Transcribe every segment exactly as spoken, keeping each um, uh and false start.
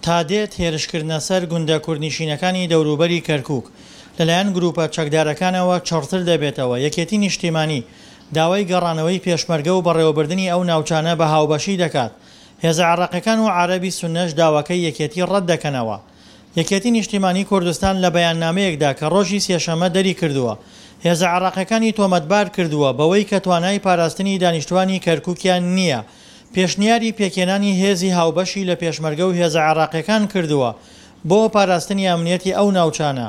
تا دێت هێرشکردنە سەر گوندە کوردنشینەکانی دەوروبەری کەرکوک لەلایەن گروپە چەکدارەکانەوە چڕتر دەبێتەوە، یەکێتی نیشتیمانی داوای گەڕانەوەی پێشمەرگە و بەڕێوەبردنی ئەو ناوچانە بە هاوبەشی دەکات، هێزە عێراقیەکان و عەرەبی سوننەش داواکەی یەکێتی ڕەتدەکەنەوە. یەکێتی نیشتیمانی کوردستان لە بەیاننامەیەکدا کە ڕۆژی سێشەممە دەریکردووە، هێزە عێراقیەکانی تۆمەتبار کردووە بەوەی کە توانای پاراستنی دانیشتوانی کەرکوکیان نییە، پێشنیاری پێکهێنانی هێزی هاوبەشی لە پێشمەرگە و هێزە عێراقیەکان کردووە بۆ پاراستنی ئەمنیەتی ئەو ناوچانە.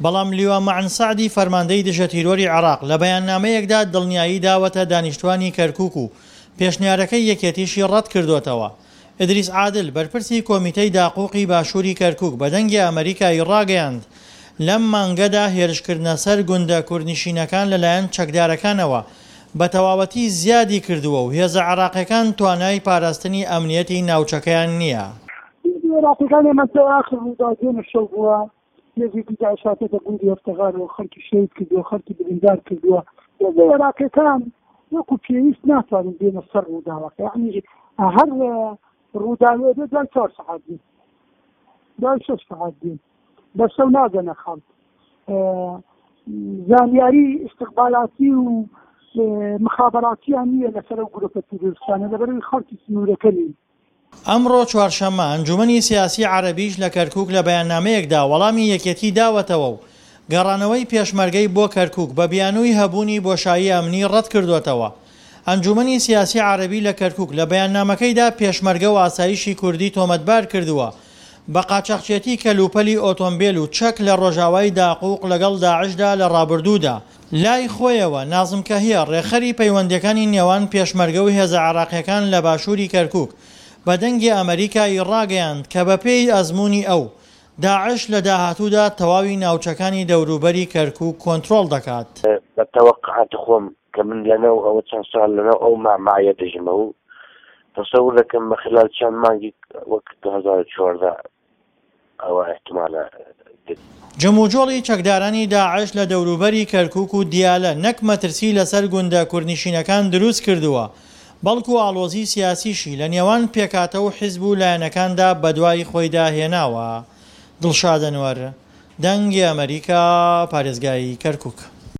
بەڵام لیوا مەعن سەعدی فەرماندەی دژە تیرۆری عێراق لە بەیاننامەیەکدا دڵنیایی داوەتە دانیشتوانی کەرکوک و پێشنیارەکەی یەکێتیشی ڕەتکردۆتەوە. ئیدریس عادل، بەرپرسی کۆمیتەی داقوقی باشووری کەرکوک بە دەنگی ئەمەریکای ڕاگەیاند، لەم مانگەدا هێرشکردنە سەر گوندە کوردنشینەکان لەلایەن چەکدارەکانەوە بە تەواوەتی زیادی کردووە و هێزە عێراقیەکان توانای پاراستنی ئەمنیەتی ناوچەکەیان نییە. هێزە عێراقیەکان ئێمە تا ئاخر ڕووداو دوێنێ شەو بووە هێزێکی داعش هاتۆتە گوندی هەفتەغارەوە خەڵکی شەهید کردووە، خەڵکی بریندار کردووە. هێزە عێراقیەکان وەکو پێویست ناتوانن بێنە سەر ڕووداوەکە، یعنی هەر ڕووداوێ بێت دوای چوار سەعات دێن، دوای شەش سەعات دێن، بە شەو ناگەنە خەڵک. زانیاری ئیستقبالاتی و مخابراتیان نییە لەسەر ئەو گروپە تیرۆریستانە، لەبەرئەوەی خەڵکی سنوورەکە نین. ئەمڕۆ چوارشەممە، ئەنجومەنی سیاسی عەرەبیش لە کەرکوک لە بەیاننامەیەکدا وەڵامی یەکێتی داوەتەوە و گەڕانەوەی پێشمەرگەی بۆ کەرکوک بە بیانووی هەبوونی بۆشایی ئەمنی ڕەتکردۆتەوە. ئەنجومەنی سیاسی عەرەبی لە کەرکوک لە بەیاننامەکەیدا پێشمەرگە و ئاسایشی کوردی تۆمەتبار کردووە بە قاچاخچێتی کەلوپەلی ئۆتۆمبێل و چەک لە ڕۆژاوای داقوق لەگەڵ داعشدا لە ڕابردوودا. لای خۆیەوە، نازم کەهیە، ڕێکخەری پەیوەندییەکانی نێوان پێشمەرگە و هێزە عێراقییەکان لە باشووری کەرکوک، بە دەنگی ئەمەریکا ی ڕاگەیاند کە بەپێی ئەزموونی ئەو، داعش لە داهاتوودا تەواوی ناوچەکانی دەوروبەری کەرکوک کۆنترۆڵ دەکات. بە تەوەقعاتی خۆم کە من لەناو ئەوە چەند ساڵ لەناو ئەو مەعمەعەیە دەژمە و تەسەور دەکەم بە خلال چەند مانگی وەک دوو هەزار و چواردە ئەوە ئیحتمالە دێت. جموجۆڵی چەکدارانی داعش لە دەوروبەری کەرکوک و دیالە نەک مەترسی لەسەر گوندە کوردنشینەکان دروست کردووە، بەڵکو ئاڵۆزی سیاسیشی لە نێوان پێکهاتە و حیزب و لایەنەکاندا بەدوای خۆیدا هێناوە. دڵشاد ئەنوەر، دەنگی ئەمەریکا، پارێزگای کەرکوک.